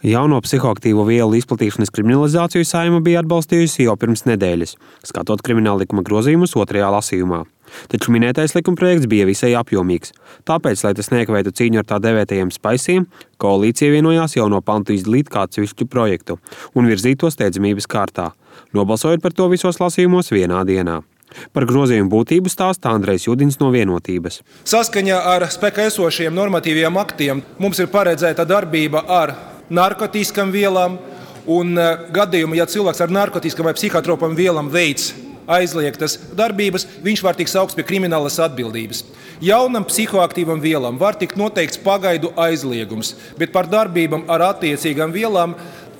Jauno psihoaktīvo vielu izplatīšanas kriminalizāciju Saeima bija atbalstījusi jau pirms nedēļas, skatot krimināllikuma grozījumus otrajā lasījumā. Taču minētais likumprojekts bija visai apjomīgs. Tāpēc, lai tas neiekavētu cīņu ar tā dēvētajiem spaisiem, koalīcija vienojās jauno pantu izdalīt kā atsevišķu projektu un virzīt to steidzamības kārtā, nobalsojot par to visos lasījumos vienā dienā. Par grozījumu būtību stāsta Andrejs Judins no Vienotības. Saskaņā ar spēkā esošajiem normatīviem aktiem mums ir paredzēta darbība ar narkotiskām vielām un gadījumu, ja cilvēks ar narkotiskām vai psihotropām vielām veids aizliegtas darbības, viņš var tikt saukts pie kriminālas atbildības. Jaunam psihoaktīvam vielām var tikt noteikts pagaidu aizliegums, bet par darbībām ar attiecīgām vielām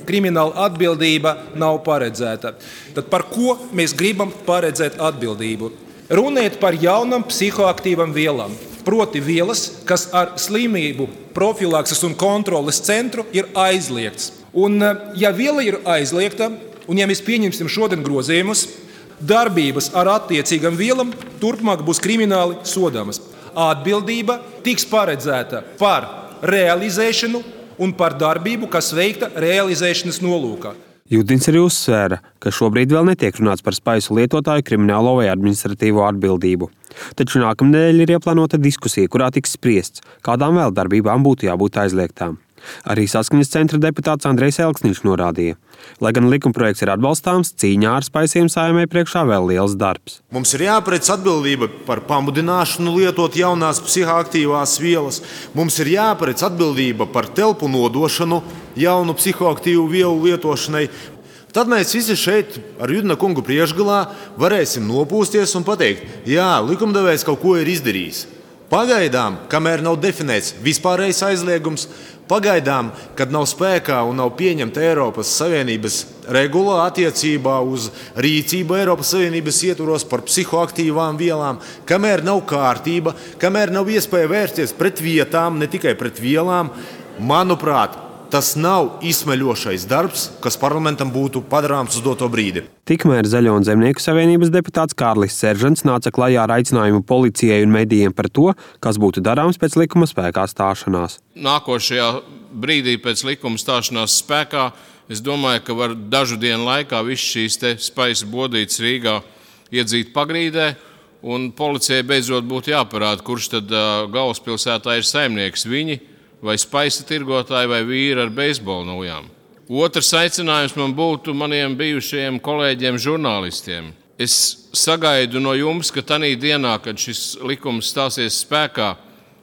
krimināla atbildība nav paredzēta. Tad par ko mēs gribam paredzēt atbildību? Runiet par jaunam psihoaktīvam vielām. Proti vielas, kas ar slimību profilakses un kontroles centru ir aizliegts. Un, ja viela ir aizliegta, un ja mēs pieņemsim šodien grozījumus, darbības ar attiecīgām vielām turpmāk būs krimināli sodāmas. Atbildība tiks paredzēta par realizēšanu un par darbību, kas veikta realizēšanas nolūkā. Judins arī uzsvēra, ka šobrīd vēl netiek runāts par spaisu lietotāju kriminālo vai administratīvo atbildību. Taču nākamnedēļ ir ieplānota diskusija, kurā tiks spriests, kādām vēl darbībām būtu jābūt aizliegtām. Arī Saskaņas centra deputāts Andrejs Elksniņš norādīja, lai gan likumprojekts ir atbalstāms, cīņā ar spaisiem Saeimai priekšā vēl liels darbs. Mums ir jāparedz atbildība par pamudināšanu lietot jaunās psihoaktīvās vielas. Mums ir jāparedz atbildība par telpu nodošanu jaunu psihoaktīvu vielu lietošanai. Tad mēs visi šeit ar Judina kungu priekšgalā varēsim nopūsties un pateikt, jā, likumdevējs kaut ko ir izdarījis. Pagaidām, kamēr nav definēts vispārējais aizliegums, pagaidām, kad nav spēkā un nav pieņemta Eiropas Savienības regula attiecībā uz rīcību Eiropas Savienības ietvaros par psihoaktīvām vielām, kamēr nav kārtība, kamēr nav iespēja vērsties pret vietām, ne tikai pret vielām, manuprāt, tas nav izsmeļošais darbs, kas parlamentam būtu padarāms uz doto brīdi. Tikmēr Zaļo un Zemnieku savienības deputāts Kārlis Seržants nāca klajā ar aicinājumu policijai un medijiem par to, kas būtu darāms pēc likuma spēkā stāšanās. Nākošajā brīdī pēc likuma stāšanās spēkā, es domāju, ka var dažu dienu laikā visas šīs spaisa bodītes Rīgā iedzīt pagrīdē, un policijai beidzot būtu jāparāda, kurš tad galvaspilsētā ir saimnieks, viņi vai spaisa tirgotāji vai vīri ar beisbola nojām. Otrs aicinājums man būtu maniem bijušajiem kolēģiem žurnālistiem. Es sagaidu no jums, ka tanī dienā, kad šis likums stāsies spēkā,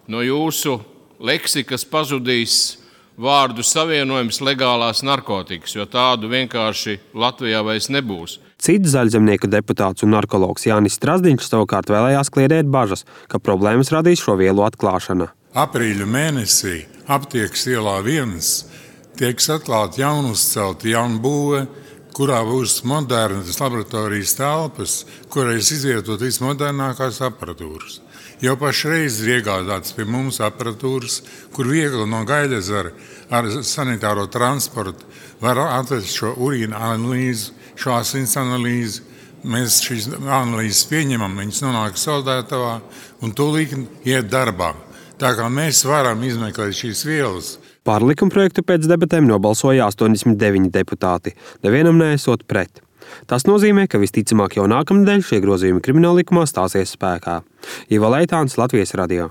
no jūsu leksikas pazudīs vārdu savienojums legālās narkotikas, jo tādu vienkārši Latvijā vairs nebūs. Cits Zaļzemnieku deputāts un narkologs Jānis Strazdiņš savukārt vēlējās kliedēt bažas, ka problēmas radīs šo vielu atklāšana. Aprīļa mēnesī Aptiekas ielā 1 tieks atklāta jaunuzcelta jaunbūve, kurā būs modernas laboratorijas telpas, kurais izvietot vismodernākās aparatūras. Jau pašreiz ir iegādāts pie mums aparatūras, kur viegli no Gaļezera ar sanitāro transportu var atvest šo urīna analīzi, šo asins analīzi. Mēs šīs analīzes pieņemam, viņas nonāk saldētavā un tūlīt iet darbā. Tā kā mēs varam izmeklēt šīs vielas. Par likumprojektu pēc debatēm nobalsoja 89 deputāti, nevienam neesot pret. Tas nozīmē, ka visticamāk jau nākamnedēļ šie grozījumi krimināllikumā stāsies spēkā. Ivo Leitāns, Latvijas radio.